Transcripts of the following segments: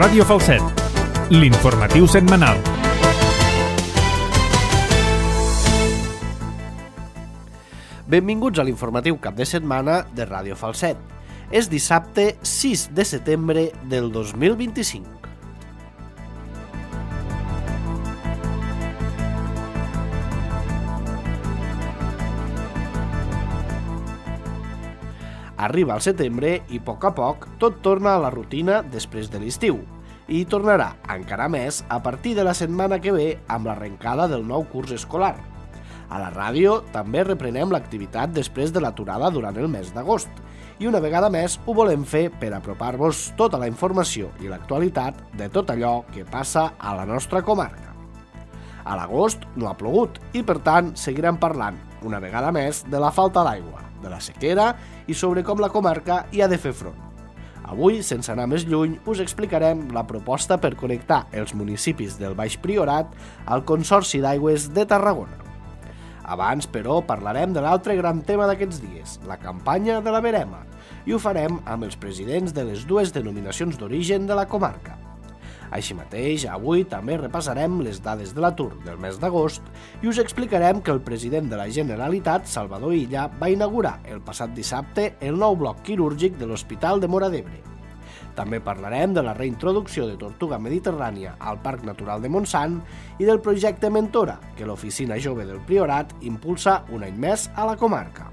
Ràdio Falset, l'informatiu setmanal. Benvinguts a l'informatiu cap de setmana de Ràdio Falset. És dissabte 6 de setembre del 2025. Arriba el setembre i a poc tot torna a la rutina després de l'estiu. I tornarà encara més a partir de la setmana que ve amb l'arrencada del nou curs escolar. A la ràdio també reprenem l'activitat després de l'aturada durant el mes d'agost i una vegada més ho volem fer per apropar-vos tota la informació i l'actualitat de tot allò que passa a la nostra comarca. A l'agost no ha plogut i per tant seguirem parlant una vegada més de la falta d'aigua, de la sequera i sobre com la comarca hi ha de fer front. Avui, sense anar més lluny, us explicarem la proposta per connectar els municipis del Baix Priorat al Consorci d'Aigües de Tarragona. Abans, però, parlarem de l'altre gran tema d'aquests dies, la campanya de la verema, i ho farem amb els presidents de les dues denominacions d'origen de la comarca. Així mateix, avui també repassarem les dades de l'atur del mes d'agost i us explicarem que el president de la Generalitat, Salvador Illa, va inaugurar el passat dissabte el nou bloc quirúrgic de l'Hospital de Móra d'Ebre. També parlarem de la reintroducció de tortuga mediterrània al Parc Natural de Montsant i del projecte Mentora, que l'Oficina Jove del Priorat impulsa un any més a la comarca.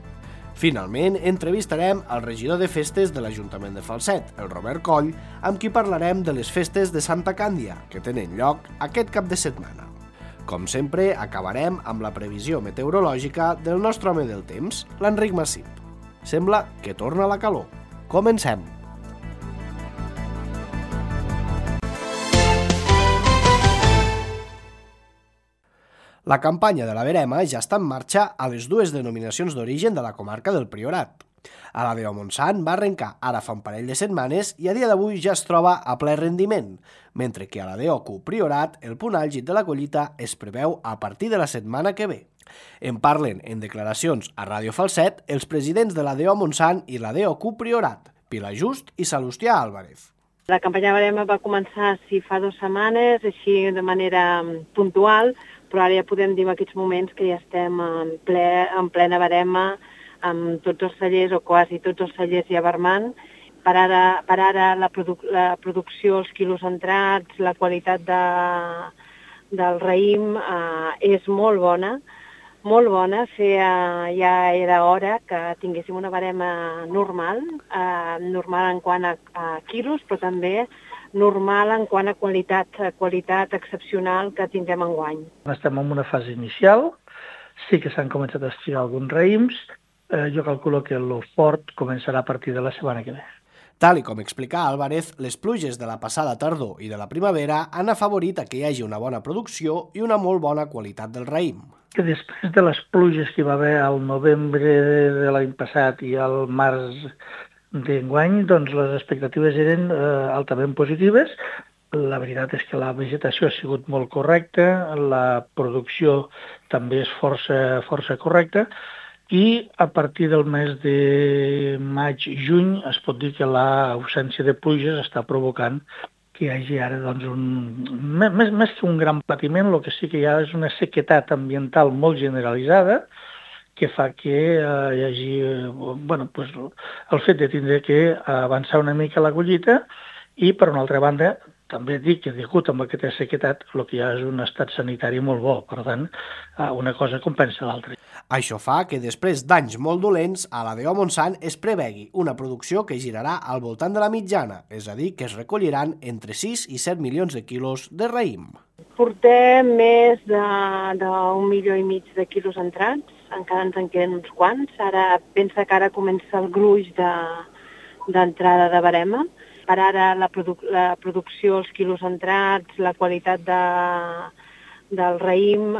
Finalment, entrevistarem el regidor de festes de l'Ajuntament de Falset, el Robert Coll, amb qui parlarem de les festes de Santa Càndia, que tenen lloc aquest cap de setmana. Com sempre, acabarem amb la previsió meteorològica del nostre home del temps, l'Enric Massip. Sembla que torna la calor. Comencem! La campanya de la verema ja està en marxa a les dues denominacions d'origen de la comarca del Priorat. A la de Montsant va arrencar ara fa un parell de setmanes i a dia d'avui ja es troba a ple rendiment, mentre que a la d'Ocu Priorat el punt àlgid de la collita es preveu a partir de la setmana que ve. En parlen en declaracions a Ràdio Falset els presidents de la DO Montsant i la DOQ Priorat, Pilar Just i Salustià Álvarez. La campanya verema va començar fa 2 setmanes, així de manera puntual, però ara ja podem dir en aquests moments que ja estem en plena verema, amb tots els cellers o quasi tots els cellers ja vermant. Per ara la producció, els quilos entrats, la qualitat del raïm és molt bona. Molt bona, ja era hora que tinguéssim una verema normal en quant a quilos, però també normal en quant a qualitat excepcional que tindrem enguany. Estem en una fase inicial, sí que s'han començat a estirar alguns raïms, jo calculo que el fort començarà a partir de la setmana que ve. Tal com explica Álvarez, les pluges de la passada tardor i de la primavera han afavorit que hi hagi una bona producció i una molt bona qualitat del raïm. Que després de les pluges que hi va haver al novembre de l'any passat i al març d'enguany, doncs les expectatives eren altament positives. La veritat és que la vegetació ha sigut molt correcta, la producció també és força correcta, i a partir del mes de maig-juny es pot dir que l'ausència de pluges està provocant que hi hagi ara més que un gran patiment, el que sí que hi ha és una sequetat ambiental molt generalitzada que fa que hi hagi el fet de tindre que avançar una mica la collita i, per una altra banda, també dic que degut amb aquesta sequetat el que hi ha és un estat sanitari molt bo, per tant, una cosa compensa l'altra. Això fa que després d'anys molt dolents, a la DO Montsant es prevegui una producció que girarà al voltant de la mitjana, és a dir, que es recolliran entre 6 i 7 milions de quilos de raïm. Portem més d'1,5 milió de quilos entrats, encara ens en queden uns quants. Ara pensa que ara comença el gruix d'entrada de verema. Per ara la producció, els quilos entrats, la qualitat del raïm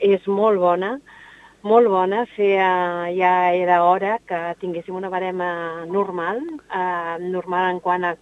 és molt bona. Molt bona, ja era hora que tinguéssim una verema normal en quant a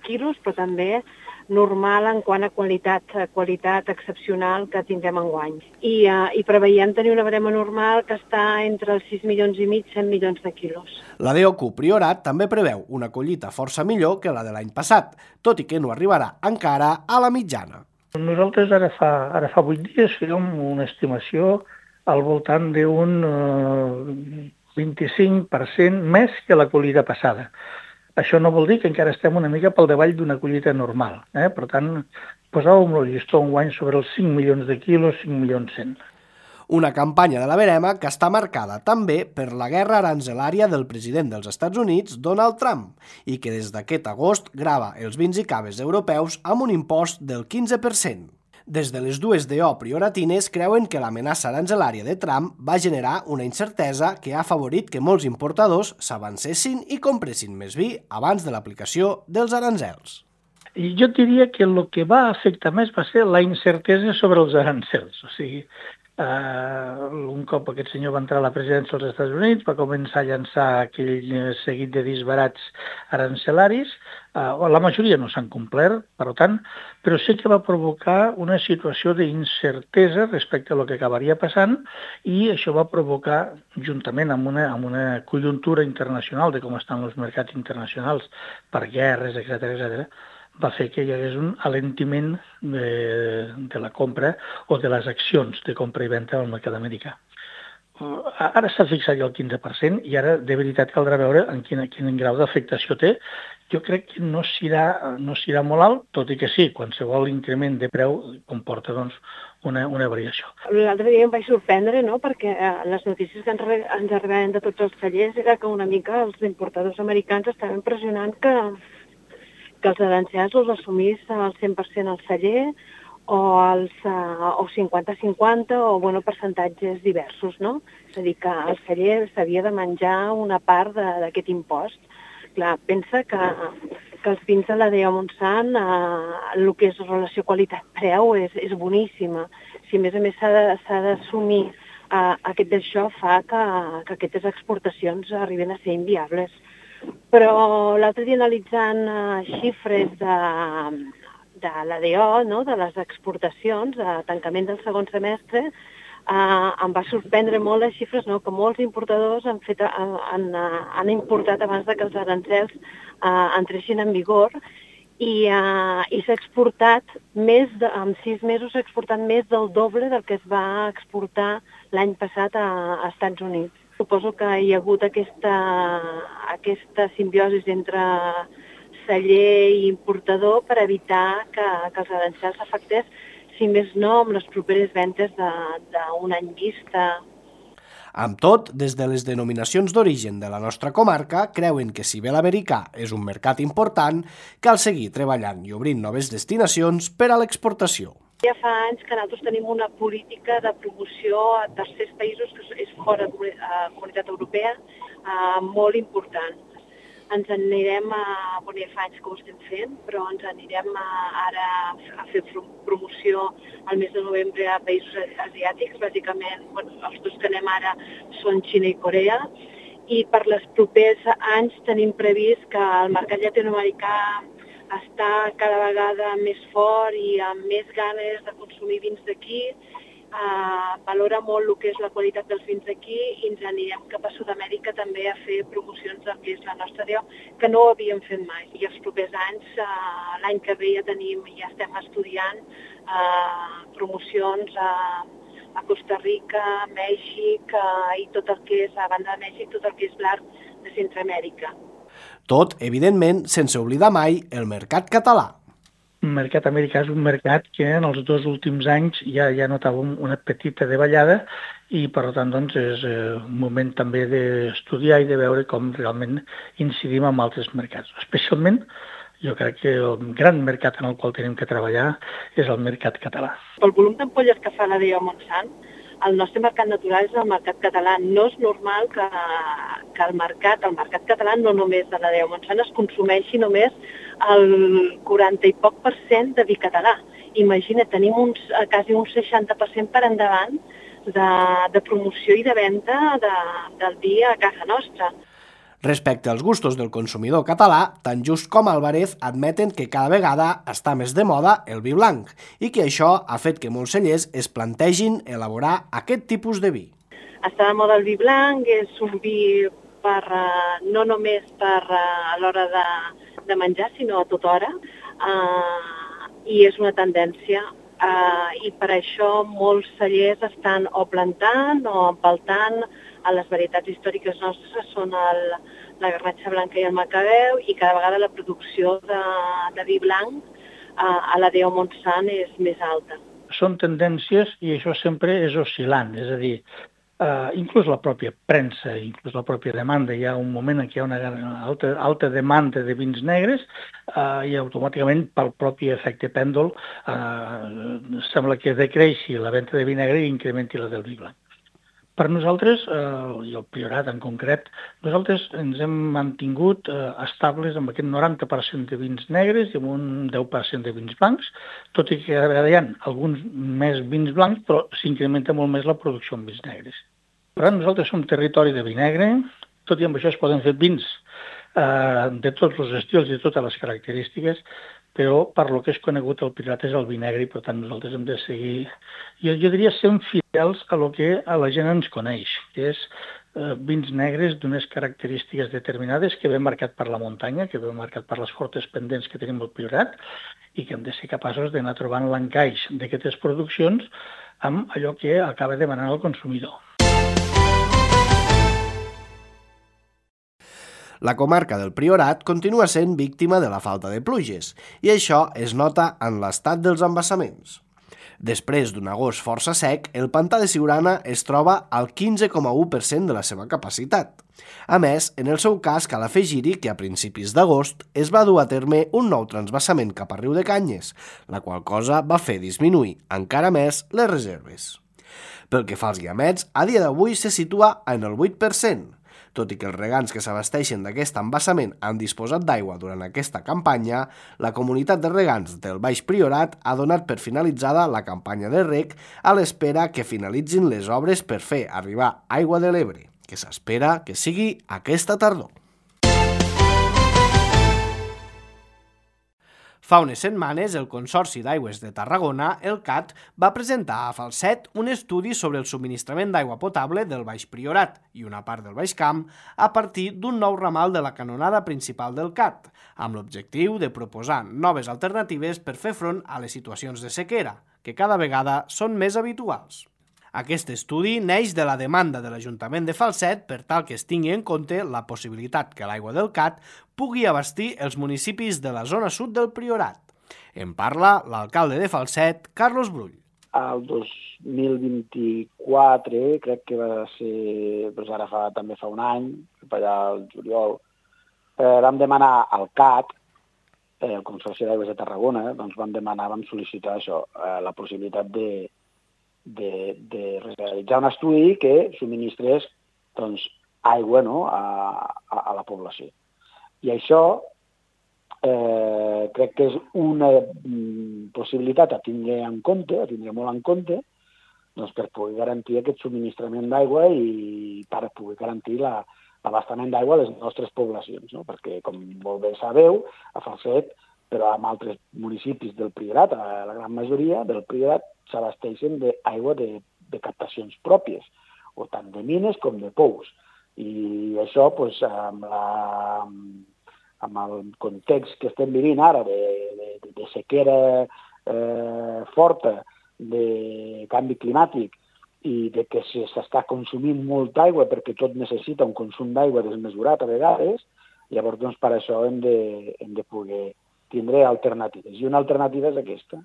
quilos, però també normal en quant a qualitat excepcional que tindrem enguany. I preveiem tenir una barema normal que està entre els 6 milions i mig i 100 milions de quilos. La DOQ Priorat també preveu una collita força millor que la de l'any passat, tot i que no arribarà encara a la mitjana. Nosaltres ara fa 8 dies fèiem una estimació al voltant d'un 25% més que la collita passada. Això no vol dir que encara estem una mica pel davall d'una collita normal. Per tant, posàvem el llistó enguany sobre els 5 milions de quilos, 5 milions 100. Una campanya de la verema que està marcada també per la guerra aranzelària del president dels Estats Units, Donald Trump, i que des d'aquest agost grava els vins i caves europeus amb un impost del 15%. Des de les dues DO prioratines creuen que l'amenaça aranzelària de Trump va generar una incertesa que ha afavorit que molts importadors s'avancessin i compressin més vi abans de l'aplicació dels arancels. I jo diria que el que va afectar més va ser la incertesa sobre els arancels. O sigui, un cop aquest senyor va entrar a la presidència dels Estats Units, va començar a llançar aquell seguit de disbarats arancelaris. La majoria no s'han complert, per tant, però sí que va provocar una situació d'incertesa respecte a el que acabaria passant i això va provocar, juntament amb una conjuntura internacional de com estan els mercats internacionals per guerres, etc., va fer que hi hagués un alentiment de la compra o de les accions de compra i venda al mercat americà. Ara s'ha fixat ja el 15% i ara de veritat caldrà veure en quin grau d'afectació té. Jo crec que no serà molt alt, tot i que sí, qualsevol increment de preu comporta una variació. L'altre dia em vaig sorprendre, no?, perquè les notícies que ens arribaven de tots els tallers era que una mica els importadors americans estaven pressionant que els arancels els assumís al 100% al celler o 50-50 o percentatges diversos, no? És a dir, que el celler s'havia de menjar una part d'aquest impost. Clar, pensa que els vins de la DO Montsant, el que és relació qualitat-preu és boníssima. Si a més s'ha d'assumir aquest d'això fa que aquestes exportacions arriben a ser inviables. Però l'altre dia analitzant xifres de la DO, no?, de les exportacions, a tancament del segon semestre, em va sorprendre molt les xifres, no?, que molts importadors han importat abans que els arancels entressin en vigor i s'ha exportat en 6 mesos s'ha exportat més del doble del que es va exportar l'any passat a Estats Units. Suposo que hi ha hagut aquesta simbiosi entre celler i importador per evitar que els arancels afectés, si més no, amb les properes ventes d'un any vista. Amb tot, des de les denominacions d'origen de la nostra comarca, creuen que si bé l'americà és un mercat important, cal seguir treballant i obrint noves destinacions per a l'exportació. Ja fa anys que nosaltres tenim una política de promoció a tercers països, que és fora de la Comunitat Europea, molt important. Ens anirem, ja fa anys que ho estem fent, però ens anirem ara a fer promoció al mes de novembre a països asiàtics. Bàsicament, els dos que anem ara són Xina i Corea, i per les propers anys tenim previst que el mercat llatinoamericà està cada vegada més fort i amb més ganes de consumir vins d'aquí, valora molt el que és la qualitat dels vins d'aquí i ens anirem cap a Sud-amèrica també a fer promocions del que és la nostra DO, que no ho havíem fet mai. I els propers anys, l'any que ve ja estem estudiant promocions a Costa Rica, Mèxic i tot el que és, a banda de Mèxic, tot el que és l'arc de Centroamèrica. Tot, evidentment, sense oblidar mai el mercat català. El mercat americà és un mercat que en els 2 últims anys ja notàvem una petita davallada i, per tant, és un moment també d'estudiar i de veure com realment incidim en altres mercats. Especialment, jo crec que el gran mercat en el qual tenim que treballar és el mercat català. Pel volum d'ampolles que fa la DO Montsant, el nostre mercat natural és el mercat català. No és normal que el mercat català, no només de la DO Montsant, es consumeixi només el 40 i poc % de vi català. Imagina, tenim quasi un 60% per endavant de promoció i de venda del vi a casa nostra. Respecte als gustos del consumidor català, tant Just com Álvarez admeten que cada vegada està més de moda el vi blanc i que això ha fet que molts cellers es plantegin elaborar aquest tipus de vi. Està de moda el vi blanc, és un vi no només a l'hora de menjar, sinó a tota hora, i és una tendència. I per això molts cellers estan o plantant o empaltant a les varietats històriques nostres, són la garnatxa blanca i el macabeu, i cada vegada la producció de vi blanc a la Déu Montsant és més alta. Són tendències i això sempre és oscil·lant, és a dir, inclús la pròpia premsa, inclús la pròpia demanda, hi ha un moment en què hi ha una alta demanda de vins negres i automàticament pel propi efecte pèndol sembla que decreixi la venda de vi negre i incrementi la del vi blanc. Per nosaltres, i el Priorat en concret, nosaltres ens hem mantingut estables amb aquest 90% de vins negres i amb un 10% de vins blancs, tot i que hi ha alguns més vins blancs, però s'incrementa molt més la producció amb vins negres. Per tant, nosaltres som territori de vi negre, tot i amb això es poden fer vins de tots els estils i de totes les característiques, però per lo que és conegut el Priorat és el vi negre i per tant nosaltres hem de seguir, jo diria, sent fidels a lo que a la gent ens coneix, que és vins negres d'unes característiques determinades que ve marcat per la muntanya, que ve marcat per les fortes pendents que tenim al Priorat i que hem de ser capaços d'anar trobant l'encaix d'aquestes produccions amb allò que acaba demanant el consumidor. La comarca del Priorat continua sent víctima de la falta de pluges i això es nota en l'estat dels embassaments. Després d'un agost força sec, el pantà de Siurana es troba al 15,1% de la seva capacitat. A més, en el seu cas cal afegir-hi que a principis d'agost es va dur a terme un nou transvasament cap a Riu de Canyes, la qual cosa va fer disminuir encara més les reserves. Pel que fa als guiamets, a dia d'avui se situa en el 8%, tot i que els regants que s'abasteixen d'aquest embassament han disposat d'aigua durant aquesta campanya, la comunitat de regants del Baix Priorat ha donat per finalitzada la campanya de reg a l'espera que finalitzin les obres per fer arribar aigua de l'Ebre, que s'espera que sigui aquesta tardor. Fa unes setmanes, el Consorci d'Aigües de Tarragona, el CAT, va presentar a Falset un estudi sobre el subministrament d'aigua potable del Baix Priorat i una part del Baix Camp a partir d'un nou ramal de la canonada principal del CAT, amb l'objectiu de proposar noves alternatives per fer front a les situacions de sequera, que cada vegada són més habituals. Aquest estudi neix de la demanda de l'Ajuntament de Falset per tal que es tingui en compte la possibilitat que l'aigua del CAT pugui abastir els municipis de la zona sud del Priorat. En parla l'alcalde de Falset, Carlos Brull. El 2024, crec que va ser, doncs ara també fa un any, per allà al juliol, vam demanar al CAT, el Consorci d'Aigües de Tarragona, doncs vam sol·licitar això, la possibilitat de realitzar un estudi que subministrés doncs, aigua, no, a la població. I això crec que és una possibilitat a tindre molt en compte, doncs, per poder garantir aquest subministrament d'aigua i per poder garantir l'abastament d'aigua a les nostres poblacions, no? Perquè, com molt bé sabeu, a Falset, però en altres municipis del Priorat, la gran majoria del Priorat, s'abasteixen d'aigua de captacions pròpies, o tant de mines com de pous. I això, doncs, amb el context que estem vivint ara de sequera forta, de canvi climàtic i de que s'està consumint molta aigua perquè tot necessita un consum d'aigua desmesurat a vegades, llavors doncs, per això hem de poder tindre alternatives. I una alternativa és aquesta.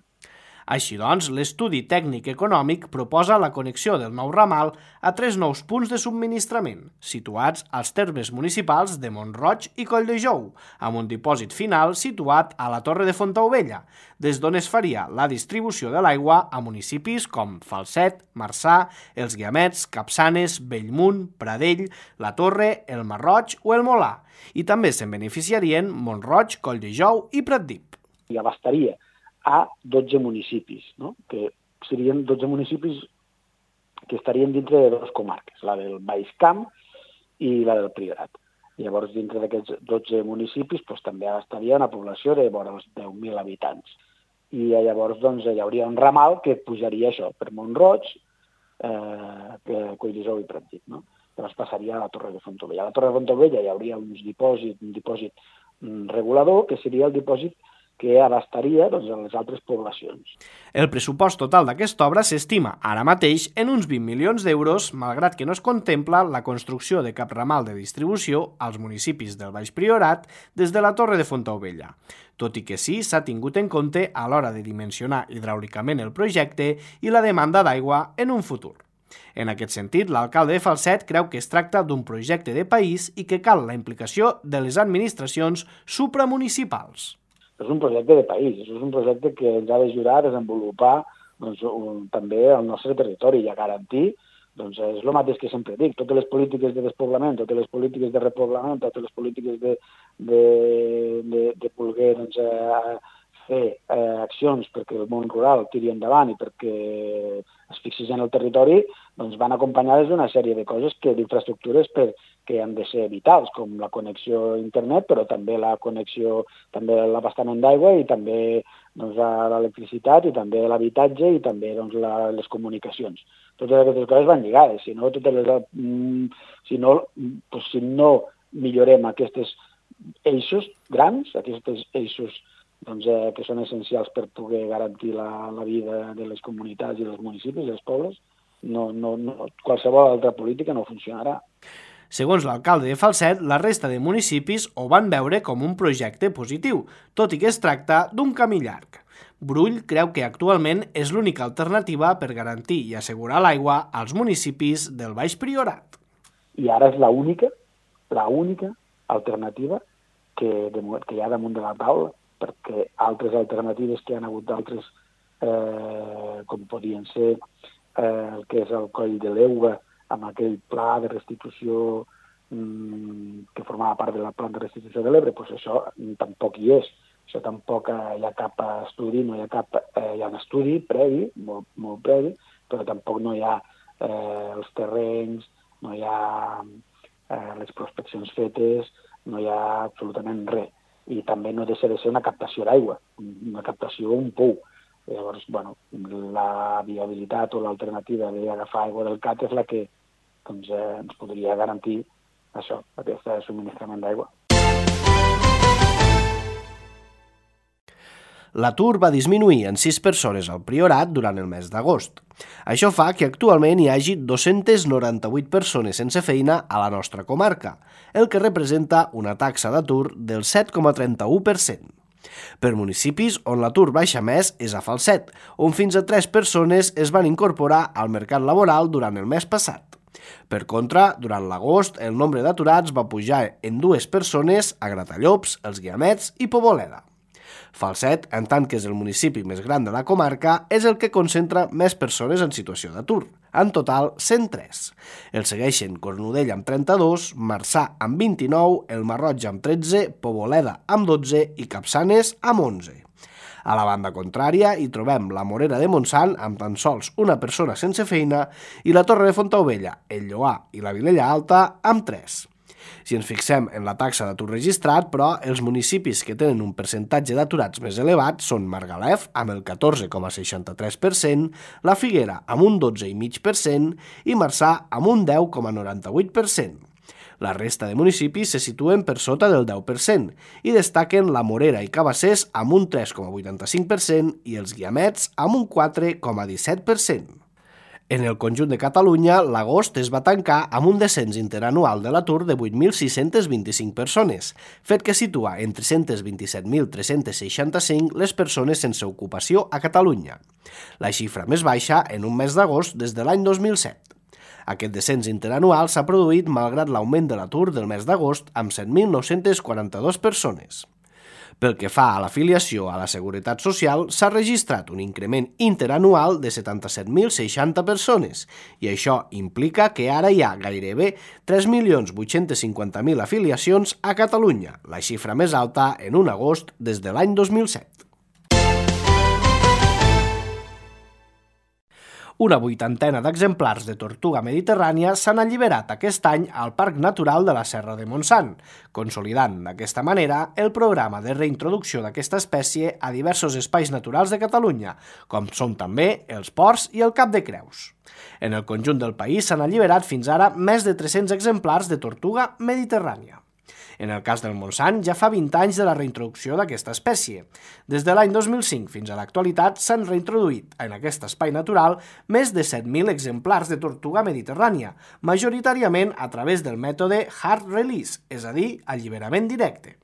Així doncs, l'estudi tècnic econòmic proposa la connexió del nou ramal a 3 nous punts de subministrament, situats als termes municipals de Mont-roig i Colldejou, amb un dipòsit final situat a la Torre de Fontaubella, des d'on es faria la distribució de l'aigua a municipis com Falset, Marçà, Els Guiamets, Capçanes, Bellmunt, Pradell, La Torre, el Masroig o el Molà, i també se'n beneficiarien Mont-roig, Colldejou i Pratdip. I abastaria a 12 municipis, no? Que serien 12 municipis que estarien dintre de 2 comarques, la del Baix Camp i la del Priorat. Llavors, dintre d'aquests 12 municipis també abastaria una població de vora els 10.000 habitants. I llavors hi hauria un ramal que pujaria això per Mont-roig, Collserola i Pratdip, no? Llavors passaria a la Torre de Fontaubella. A la Torre de Fontaubella hi hauria un dipòsit regulador, que seria el dipòsit que abastaria a les altres poblacions. El pressupost total d'aquesta obra s'estima ara mateix en uns 20 milions d'euros, malgrat que no es contempla la construcció de cap ramal de distribució als municipis del Baix Priorat des de la Torre de Fontaubella, tot i que sí s'ha tingut en compte a l'hora de dimensionar hidràulicament el projecte i la demanda d'aigua en un futur. En aquest sentit, l'alcalde de Falset creu que es tracta d'un projecte de país i que cal la implicació de les administracions supramunicipals. És un projecte de país, és un projecte que ens ha d'ajudar a desenvolupar també el nostre territori i a garantir, és el mateix que sempre dic, totes les polítiques de despoblament, totes les polítiques de repoblament, totes les polítiques de voler fer accions perquè el món rural tiri endavant i perquè es fixis en el territori, van acompanyades d'una sèrie de coses d'infraestructures que han de ser vitals, com la connexió a internet, però també la connexió, també l'abastament d'aigua i també l'electricitat i també l'habitatge i també les comunicacions. Totes aquestes coses van lligades, si no millorem aquests eixos grans, aquests eixos que són essencials per poder garantir la vida de les comunitats i dels municipis, dels pobles, qualsevol altra política no funcionarà. Segons l'alcalde de Falset, la resta de municipis ho van veure com un projecte positiu, tot i que es tracta d'un camí llarg. Brull creu que actualment és l'única alternativa per garantir i assegurar l'aigua als municipis del Baix Priorat. I ara és l'única alternativa que hi ha damunt de la taula, perquè altres alternatives que hi ha hagut d'altres, com podien ser el que és el Coll de l'Euga, amb aquell pla de restitució que formava part del pla de restitució de l'Ebre, doncs això tampoc hi és. Això tampoc hi ha cap estudi, hi ha un estudi previ, molt previ, però tampoc no hi ha els terrenys, no hi ha les prospeccions fetes, no hi ha absolutament res. I també no deixa de ser una captació d'aigua, una captació, un pou. Llavors, la viabilitat o l'alternativa d'agafar aigua del CAT és la que ens podria garantir això, aquest subministrament d'aigua. L'atur va disminuir en 6 persones al Priorat durant el mes d'agost. Això fa que actualment hi hagi 298 persones sense feina a la nostra comarca, el que representa una taxa d'atur del 7,31%. Per municipis on l'atur baixa més és a Falset, on fins a 3 persones es van incorporar al mercat laboral durant el mes passat. Per contra, durant l'agost, el nombre d'aturats va pujar en 2 persones a Gratallops, Els Guiamets i Poboleda. Falset, en tant que és el municipi més gran de la comarca, és el que concentra més persones en situació d'atur, en total 103. El segueixen Cornudella amb 32, Marçà amb 29, el Marroig amb 13, Poboleda amb 12 i Capçanes amb 11. A la banda contrària hi trobem la Morera de Montsant amb tan sols una persona sense feina i la Torre de Fontaubella, el Lloar i la Vilella Alta amb 3. Si ens fixem en la taxa d'atur registrat, però, els municipis que tenen un percentatge d'aturats més elevat són Margalef, amb el 14,63%, la Figuera, amb un 12,5% i Marçà, amb un 10,98%. La resta de municipis se situen per sota del 10% i destaquen la Morera i Cabassers amb un 3,85% i els Guiamets amb un 4,17%. En el conjunt de Catalunya, l'agost es va tancar amb un descens interanual de l'atur de 8.625 persones, fet que situa en 327.365 les persones sense ocupació a Catalunya, la xifra més baixa en un mes d'agost des de l'any 2007. Aquest descens interanual s'ha produït malgrat l'augment de l'atur del mes d'agost amb 7.942 persones. Pel que fa a l'afiliació a la Seguretat Social, s'ha registrat un increment interanual de 77.060 persones i això implica que ara hi ha gairebé 3.850.000 afiliacions a Catalunya, la xifra més alta en un agost des de l'any 2007. Una 80 d'exemplars de tortuga mediterrània s'han alliberat aquest any al Parc Natural de la Serra de Montsant, consolidant d'aquesta manera el programa de reintroducció d'aquesta espècie a diversos espais naturals de Catalunya, com són també els ports i el Cap de Creus. En el conjunt del país s'han alliberat fins ara més de 300 exemplars de tortuga mediterrània. En el cas del Montsant, ja fa 20 anys de la reintroducció d'aquesta espècie. Des de l'any 2005 fins a l'actualitat s'han reintroduït en aquest espai natural més de 7.000 exemplars de tortuga mediterrània, majoritàriament a través del mètode hard release, és a dir, alliberament directe.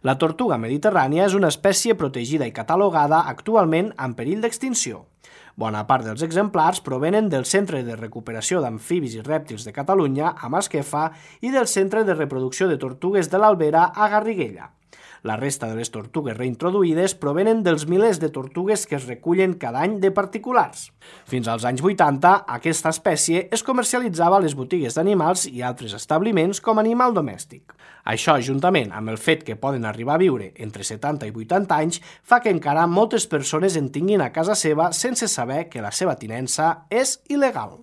La tortuga mediterrània és una espècie protegida i catalogada actualment en perill d'extinció. Bona part dels exemplars provenen del Centre de Recuperació d'Amfibis i Rèptils de Catalunya, a Masquefa, i del Centre de Reproducció de Tortugues de l'Albera, a Garriguella. La resta de les tortugues reintroduïdes provenen dels milers de tortugues que es recullen cada any de particulars. Fins als anys 80, aquesta espècie es comercialitzava a les botigues d'animals i altres establiments com a animal domèstic. Això, juntament amb el fet que poden arribar a viure entre 70 i 80 anys, fa que encara moltes persones en tinguin a casa seva sense saber que la seva tinença és il·legal.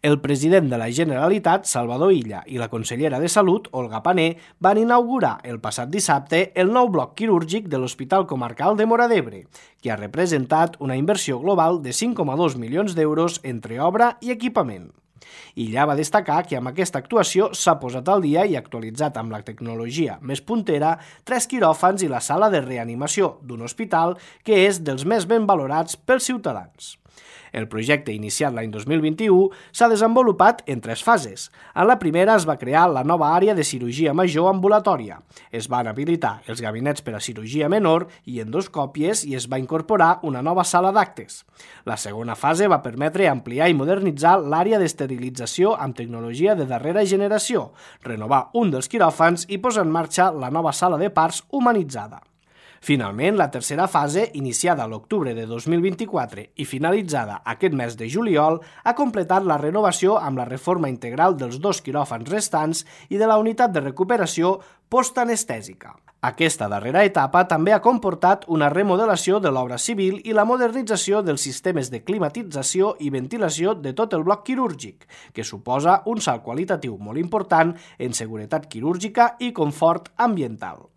El president de la Generalitat, Salvador Illa, i la consellera de Salut, Olga Pané, van inaugurar el passat dissabte el nou bloc quirúrgic de l'Hospital Comarcal de Móra d'Ebre, que ha representat una inversió global de 5,2 milions d'euros entre obra i equipament. Illa va destacar que amb aquesta actuació s'ha posat al dia i actualitzat amb la tecnologia més puntera 3 quiròfans i la sala de reanimació d'un hospital que és dels més ben valorats pels ciutadans. El projecte, iniciat l'any 2021, s'ha desenvolupat en 3 fases. En la primera es va crear la nova àrea de cirurgia major ambulatòria. Es van habilitar els gabinets per a cirurgia menor i endoscòpies i es va incorporar una nova sala d'actes. La segona fase va permetre ampliar i modernitzar l'àrea d'esterilització amb tecnologia de darrera generació, renovar un dels quiròfans i posar en marxa la nova sala de parts humanitzada. Finalment, la tercera fase, iniciada a l'octubre de 2024 i finalitzada aquest mes de juliol, ha completat la renovació amb la reforma integral dels 2 quiròfans restants i de la unitat de recuperació postanestèsica. Aquesta darrera etapa també ha comportat una remodelació de l'obra civil i la modernització dels sistemes de climatització i ventilació de tot el bloc quirúrgic, que suposa un salt qualitatiu molt important en seguretat quirúrgica i confort ambiental.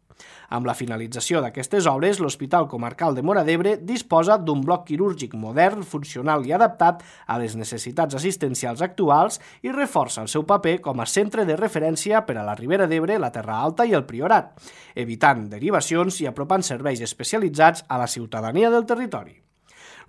Amb la finalització d'aquestes obres, l'Hospital Comarcal de Móra d'Ebre disposa d'un bloc quirúrgic modern, funcional i adaptat a les necessitats assistencials actuals i reforça el seu paper com a centre de referència per a la Ribera d'Ebre, la Terra Alta i el Priorat, evitant derivacions i apropant serveis especialitzats a la ciutadania del territori.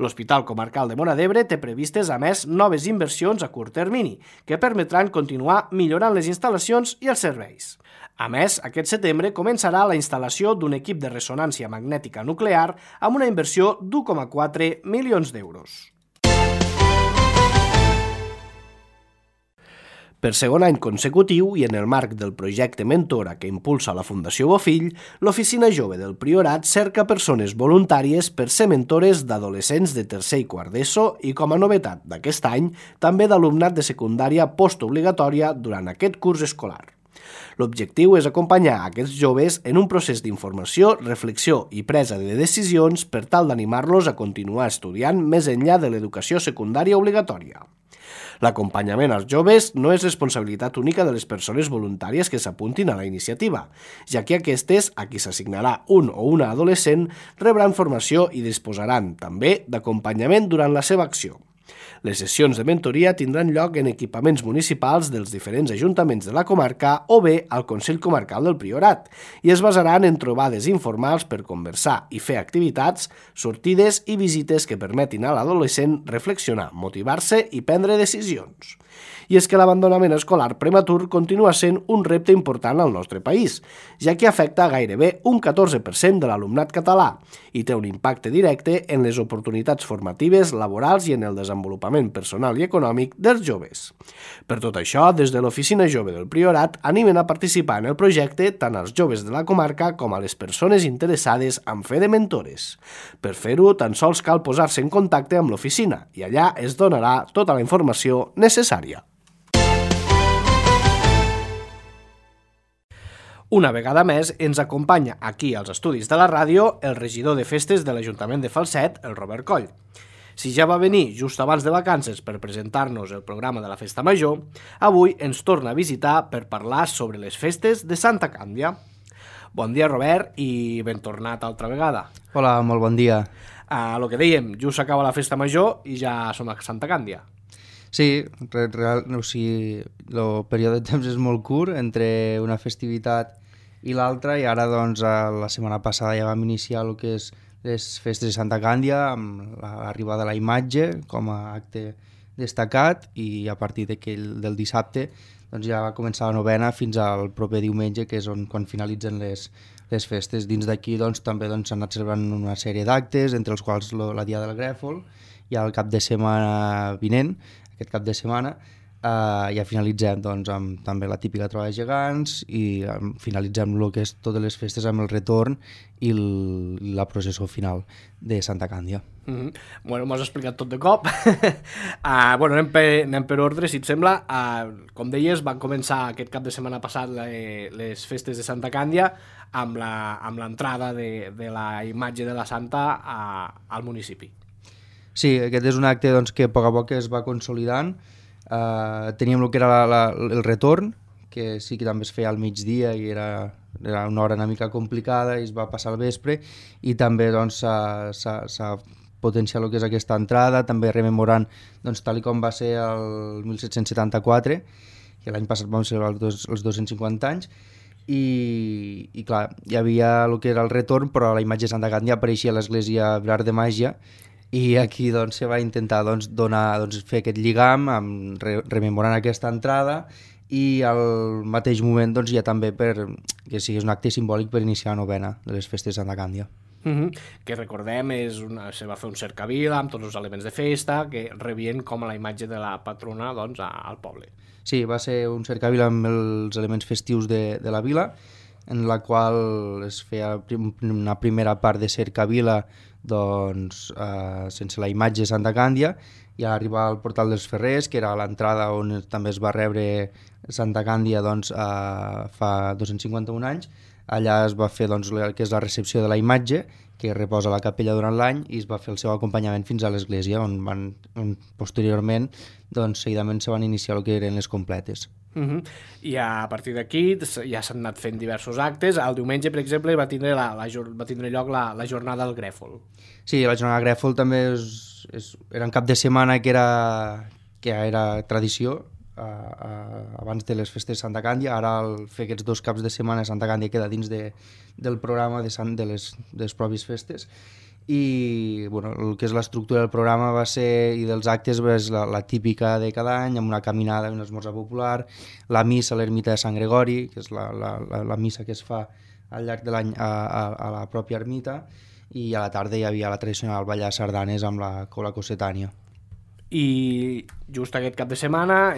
L'Hospital Comarcal de Móra d'Ebre té previstes, a més, noves inversions a curt termini, que permetran continuar millorant les instal·lacions i els serveis. A més, aquest setembre començarà la instal·lació d'un equip de ressonància magnètica nuclear amb una inversió d'1,4 milions d'euros. Per segon any consecutiu i en el marc del projecte Mentora que impulsa la Fundació Bofill, l'Oficina Jove del Priorat cerca persones voluntàries per ser mentores d'adolescents de tercer i quart d'ESO i, com a novetat d'aquest any, també d'alumnat de secundària postobligatòria durant aquest curs escolar. L'objectiu és acompanyar aquests joves en un procés d'informació, reflexió i presa de decisions per tal d'animar-los a continuar estudiant més enllà de l'educació secundària obligatòria. L'acompanyament als joves no és responsabilitat única de les persones voluntàries que s'apuntin a la iniciativa, ja que aquestes, a qui s'assignarà un o una adolescent, rebran formació i disposaran també d'acompanyament durant la seva acció. Les sessions de mentoria tindran lloc en equipaments municipals dels diferents ajuntaments de la comarca o bé al Consell Comarcal del Priorat i es basaran en trobades informals per conversar i fer activitats, sortides i visites que permetin a l'adolescent reflexionar, motivar-se i prendre decisions. I és que l'abandonament escolar prematur continua sent un repte important al nostre país, ja que afecta gairebé un 14% de l'alumnat català i té un impacte directe en les oportunitats formatives, laborals i en el desenvolupament personal i econòmic dels joves. Per tot això, des de l'Oficina Jove del Priorat animen a participar en el projecte tant als joves de la comarca com a les persones interessades en fer de mentores. Per fer-ho, tan sols cal posar-se en contacte amb l'oficina i allà es donarà tota la informació necessària. Una vegada més ens acompanya aquí als estudis de la ràdio el regidor de festes de l'Ajuntament de Falset, el Robert Coll. Si ja va venir just abans de vacances per presentar-nos el programa de la Festa Major, avui ens torna a visitar per parlar sobre les festes de Santa Càndia. Bon dia, Robert, i ben tornat altra vegada. Hola, molt bon dia. El que dèiem, just s'acaba la Festa Major i ja som a Santa Càndia. Sí, el període de temps és molt curt entre una festivitat i l'altra, i ara doncs la setmana passada ja vam iniciar el que és les festes de Santa Càndia amb l'arribada de la imatge com a acte destacat, i a partir del dissabte doncs ja va començar la novena fins al proper diumenge, que és quan finalitzen les festes. Dins d'aquí doncs, també s'han anat celebrant una sèrie d'actes, entre els quals la Dia del Grèfol, i el cap de setmana vinent, aquest cap de setmana, ja finalitzem doncs, amb també la típica trobada de gegants, i finalitzem el que és totes les festes amb el retorn i la processó final de Santa Càndia. Bueno, m'ho has explicat tot de cop. Anem per ordre, si et sembla. Com deies, van començar aquest cap de setmana passat les festes de Santa Càndia amb l'entrada de la imatge de la Santa al municipi. Sí, aquest és un acte doncs, que a poc a poc es va consolidant. Teníem el que era el retorn, que sí que també es feia al migdia i era una hora una mica complicada i es va passar al vespre, i també doncs, s'ha potenciat el que és aquesta entrada, també rememorant doncs, tal com va ser el 1774, que l'any passat vam celebrar els 250 anys, i clar, hi havia el que era el retorn, però la imatge de Santa Càndia apareixia a l'església Vilar de Màgia, i aquí doncs, se va intentar fer aquest lligam rememorant aquesta entrada, i al mateix moment doncs, ja també que sigui un acte simbòlic per iniciar la novena de les festes de Santa Càndia. Que recordem, se va fer un cercavila amb tots els elements de festa que rebien com a la imatge de la patrona doncs, al poble. Sí, va ser un cercavila amb els elements festius de la vila, en la qual es feia una primera part de cercavila doncs, sense la imatge de Santa Càndia, i a arribar al portal dels Ferrers, que era l'entrada on també es va rebre Santa Càndia doncs, fa 251 anys. Allà es va fer doncs, el que és la recepció de la imatge, que reposa a la capella durant l'any, i es va fer el seu acompanyament fins a l'església, on posteriorment doncs, seguidament se van iniciar el que eren les completes. I a partir d'aquí ja s'han anat fent diversos actes. El diumenge, per exemple, va tindre lloc la jornada del Grèfol. Sí, la jornada del Grèfol també era un cap de setmana que era tradició abans de les festes de Santa Càndia. Ara, al fer aquests 2 caps de setmana, Santa Càndia queda dins del programa de les pròpies festes. I el que és l'estructura del programa i dels actes és la típica de cada any, amb una caminada i un esmorzar popular, la missa a l'ermita de Sant Gregori, que és la missa que es fa al llarg de l'any a la pròpia ermita, i a la tarda hi havia la tradicional ballar sardanes amb la cola cossetània. I just aquest cap de setmana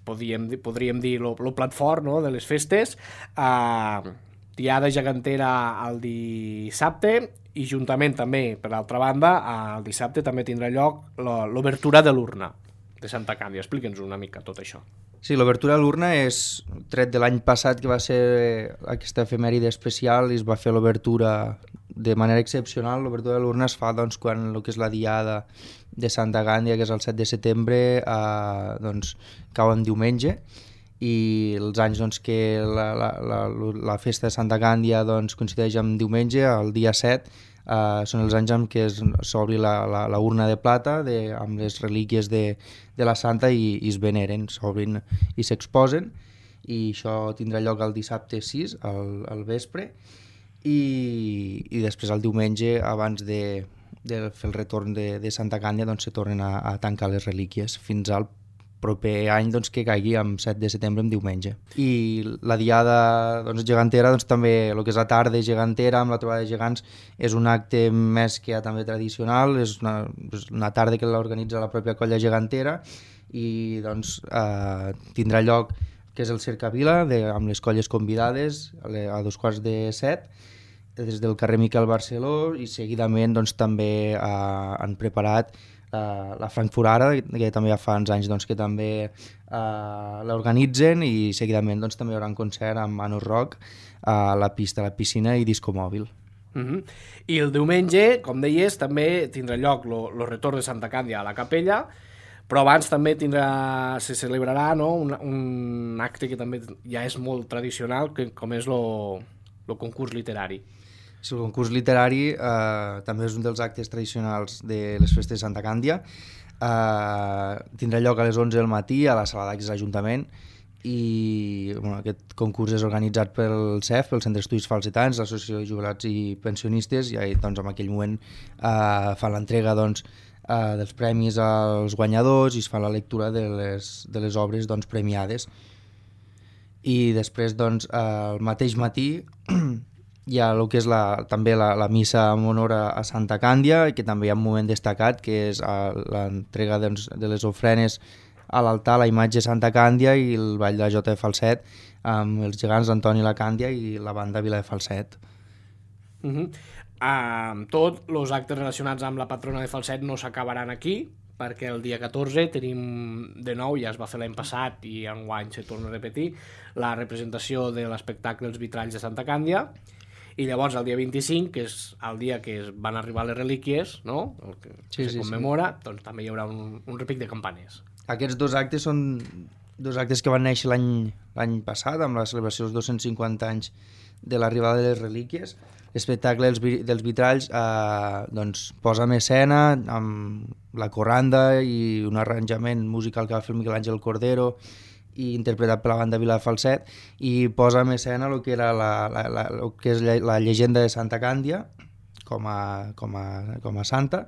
podríem dir el plat fort, no?, de les festes. Diada gegantera el dissabte, i juntament també, per l'altra banda, el dissabte també tindrà lloc l'obertura de l'urna de Santa Càndia. Explica'ns una mica tot això. Sí, l'obertura de l'urna és tret de l'any passat, que va ser aquesta efemèride especial, i es va fer l'obertura de manera excepcional. L'obertura de l'urna es fa doncs, quan el que és la diada de Santa Càndia, que és el 7 de setembre, doncs, cau en diumenge, i els anys doncs, que la festa de Santa Càndia doncs, coincideix amb diumenge, el dia 7, són els anys en què s'obri la urna de plata amb les relíquies de la Santa, i es veneren, s'obrin i s'exposen, i això tindrà lloc el dissabte 6 al vespre, i després el diumenge, abans de fer el retorn de Santa Càndia, doncs, se tornen a tancar les relíquies fins al proper any doncs, que caigui amb 7 de setembre, en diumenge. I la diada doncs, gegantera, doncs, també el que és la tarda gegantera amb la trobada de gegants, és un acte més que ja també tradicional, és una tarda que l'organitza la pròpia colla gegantera, i doncs, tindrà lloc que és el cercavila amb les colles convidades a 2:45 des del carrer Miquel Barceló, i seguidament doncs, també han preparat la Frankfurt Ara, que també ja fa uns anys doncs, que també l'organitzen, i seguidament doncs, també hi haurà un concert amb Manus Rock a la pista, la piscina i disco mòbil. I el diumenge, com deies, també tindrà lloc el retorn de Santa Càndia a la capella, però abans també se celebrarà, no, un acte que també ja és molt tradicional, com és el concurs literari. Sí, el concurs literari també és un dels actes tradicionals de les festes de Santa Càndia. Tindrà lloc a les 11 del matí a la sala d'actes de l'Ajuntament, i aquest concurs és organitzat pel CEF, pel Centre d'Estudis Falsetans, l'Associació de Jubilats i Pensionistes, i doncs, en aquell moment fan l'entrega doncs, dels premis als guanyadors i es fa la lectura de les obres doncs, premiades. I després, doncs, el mateix matí hi ha el que és també la missa en honor a Santa Càndia, que també hi ha un moment destacat, que és l'entrega doncs, de les ofrenes a l'altar, la imatge de Santa Càndia i el ball de la Jota de Falset amb els gegants Antoni la Càndia i la banda Vila de Falset. Tots els actes relacionats amb la patrona de Falset no s'acabaran aquí, perquè el dia 14 tenim de nou, ja es va fer l'any passat i enguany se torna a repetir, la representació de l'espectacle Els Vitralls de Santa Càndia, i llavors el dia 25, que és el dia que van arribar les relíquies, no? El que se commemora, doncs també hi haurà un repic de campanes. Aquests dos actes són dos actes que van néixer l'any passat, amb la celebració dels 250 anys de l'arribada de les relíquies. L'espectacle dels Vitralls doncs, posa en escena amb la corranda i un arranjament musical que va fer Miquel Àngel Cordero i interpretat per la banda Vila de Falset, i posa en escena el que era la llegenda de Santa Càndia com a santa,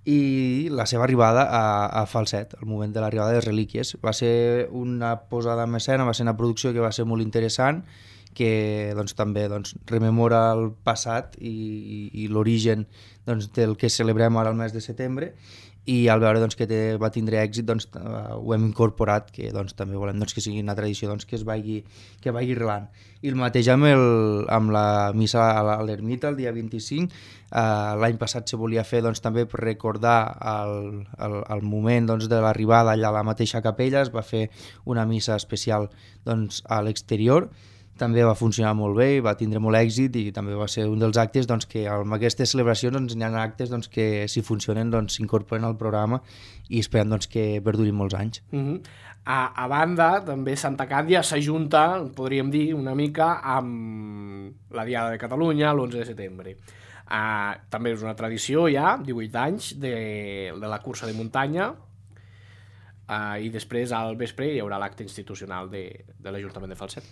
i la seva arribada a Falset, el moment de l'arribada de les relíquies. Va ser una posada en escena, va ser una producció que va ser molt interessant, que doncs, també rememora el passat i l'origen del que celebrem ara el mes de setembre, i al veure que va tindre èxit ho hem incorporat, que també volem que sigui una tradició que vagi relant. I el mateix amb la missa a l'ermita el dia 25. L'any passat se volia fer també per recordar el moment de l'arribada allà a la mateixa capella. Es va fer una missa especial a l'exterior, també va funcionar molt bé i va tindre molt èxit, i també va ser un dels actes que amb aquestes celebracions hi ha actes que si funcionen s'incorporen al programa i esperem que perdurin molts anys. A banda, també Santa Càndia s'ajunta, podríem dir, una mica amb la Diada de Catalunya l'11 de setembre. També és una tradició ja, 18 anys, de la cursa de muntanya, i després al vespre hi haurà l'acte institucional de l'Ajuntament de Falset.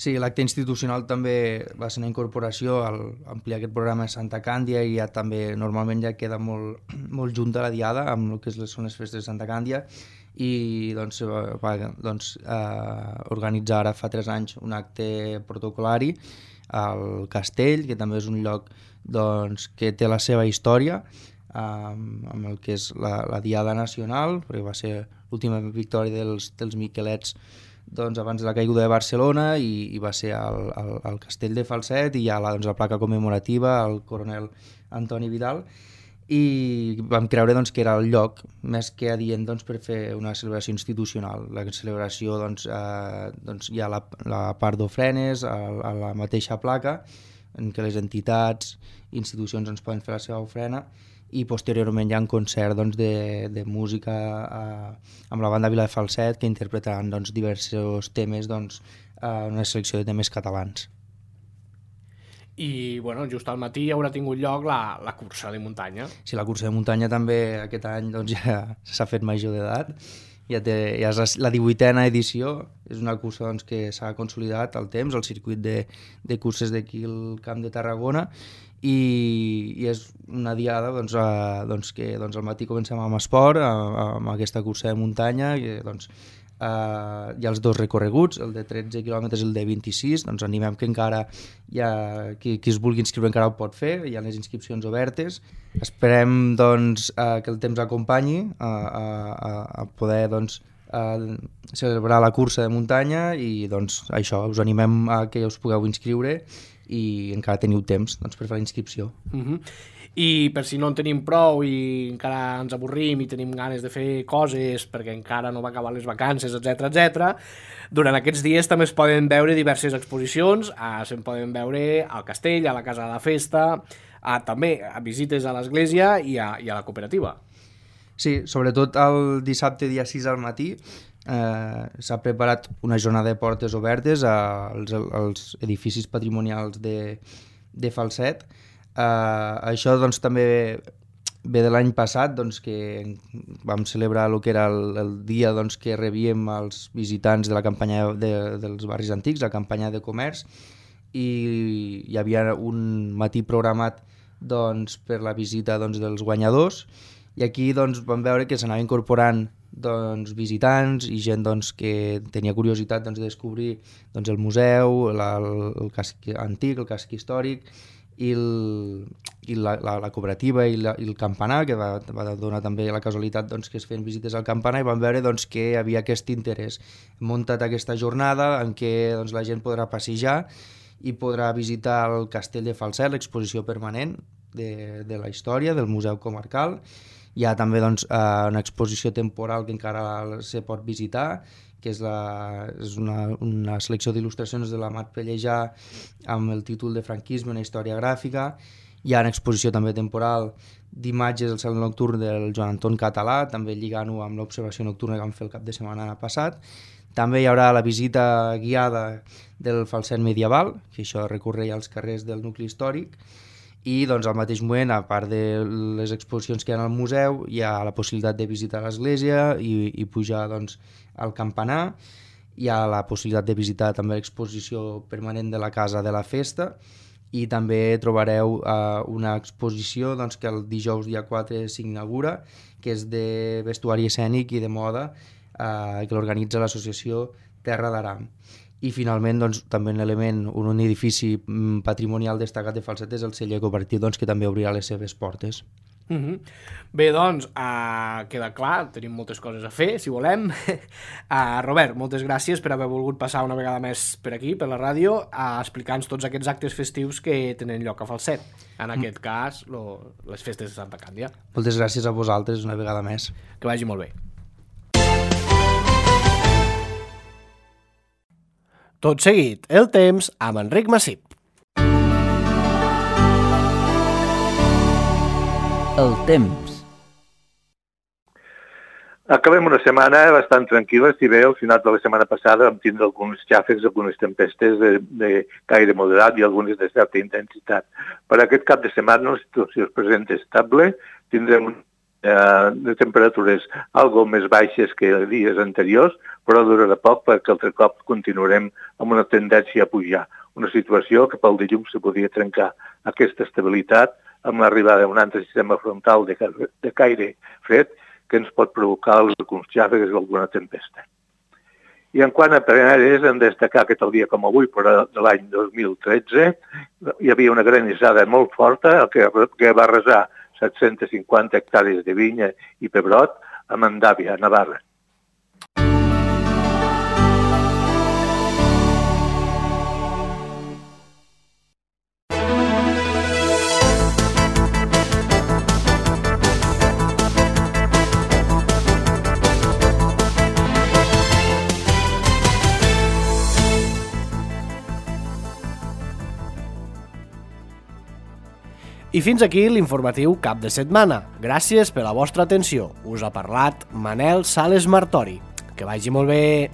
Sí, l'acte institucional també va ser una incorporació al ampliar aquest programa de Santa Càndia, i ja també normalment ja queda molt junta la diada amb el que són les festes de Santa Càndia, i va organitzar ara fa 3 anys un acte protocolari al Castell, que també és un lloc que té la seva història, amb el que és la Diada Nacional, perquè va ser l'última victòria dels Miquelets abans de la caiguda de Barcelona, i va ser al Castell de Falset, i hi ha la placa commemorativa al coronel Antoni Vidal, i vam creure que era el lloc més que adient per fer una celebració institucional. La celebració hi ha la part d'ofrenes a la mateixa placa, en què les entitats i institucions poden fer la seva ofrena, i posteriorment hi ha un concert de música amb la banda Vila de Falset, que interpretaran diversos temes, una selecció de temes catalans. I just al matí haurà tingut lloc la cursa de muntanya. Sí, la cursa de muntanya també aquest any ja s'ha fet major d'edat, ja és la 18a edició, és una cursa que s'ha consolidat al temps, al circuit de curses d'aquí al Camp de Tarragona, i és una diada que al matí comencem amb esport, amb aquesta cursa de muntanya, i hi ha els 2 recorreguts, el de 13 quilòmetres i el de 26, animem que encara qui es vulgui inscriure encara ho pot fer, hi ha les inscripcions obertes. Esperem que el temps acompanyi a poder celebrar la cursa de muntanya, i això, us animem a que us pugueu inscriure, i encara teniu temps per fer la inscripció. I per si no en tenim prou i encara ens avorrim i tenim ganes de fer coses perquè encara no va acabar les vacances, etc. Durant aquests dies també es poden veure diverses exposicions, se'n poden veure al castell, a la casa de la festa, també a visites a l'església i a la cooperativa. Sí, sobretot el dissabte dia 6 al matí s'ha preparat una jornada de portes obertes als edificis patrimonials de Falset. Això doncs, també ve de l'any passat, doncs, que vam celebrar el que era el dia doncs, que rebíem els visitants de la campanya dels barris antics, la campanya de comerç, i hi havia un matí programat doncs, per la visita doncs, dels guanyadors, i aquí doncs, vam veure que s'anava incorporant doncs, visitants i gent doncs, que tenia curiositat doncs, de descobrir doncs, el museu, el casc antic, el casc històric, i la cooperativa i el campanar, que va donar també la casualitat doncs, que es feien visites al campanar, i vam veure doncs, que hi havia aquest interès. Hem muntat aquesta jornada en què doncs, la gent podrà passejar i podrà visitar el castell de Falset, l'exposició permanent de la història del Museu Comarcal. Hi ha també doncs, una exposició temporal que encara se pot visitar, que és una selecció d'il·lustracions de la Mat Pellejà amb el títol de Franquisme, una història gràfica. Hi ha una exposició també temporal d'imatges del cel nocturn del Joan Anton Català, també lligant-ho amb l'observació nocturna que vam fer el cap de setmana passat. També hi haurà la visita guiada del Falset medieval, que això recorreia als carrers del nucli històric, i doncs, al mateix moment, a part de les exposicions que hi ha al museu, hi ha la possibilitat de visitar l'església i pujar doncs, al campanar. Hi ha la possibilitat de visitar també l'exposició permanent de la Casa de la Festa, i també trobareu una exposició doncs, que el dijous dia 4 s'inaugura, que és de vestuari escènic i de moda, que l'organitza l'associació Terra d'Aram. I finalment doncs, també un edifici patrimonial destacat de Falset és el celler cooperatiu, doncs, que també obrirà les seves portes. Bé, doncs, queda clar, tenim moltes coses a fer, si volem. Robert, moltes gràcies per haver volgut passar una vegada més per aquí, per la ràdio, explicant-nos tots aquests actes festius que tenen lloc a Falset. En aquest cas, les festes de Santa Càndia. Moltes gràcies a vosaltres una vegada més. Que vagi molt bé. Tot seguit, el temps amb Enric Massip. El temps. Acabem una setmana bastant tranquil·la, si bé al final de la setmana passada vam tindre alguns xàfecs, algunes tempestes de caire moderat i algunes de certa intensitat. Per aquest cap de setmana la situació es presenta estable, tindrem de temperatures algo més baixes que dies anteriors, però durarà poc perquè altre cop continuarem amb una tendència a pujar. Una situació que pel dilluns se podria trencar aquesta estabilitat amb l'arribada d'un altre sistema frontal de caire fred que ens pot provocar alguns xàfecs i alguna tempesta. I en quant a plenares, hem de destacar que tal dia com avui, però de l'any 2013, hi havia una granissada molt forta que va arrasar 750 hectàrees de vinya i pebrot a Mandàvia, a Navarra. I fins aquí l'informatiu cap de setmana. Gràcies per la vostra atenció. Us ha parlat Manel Sales Martori. Que vagi molt bé.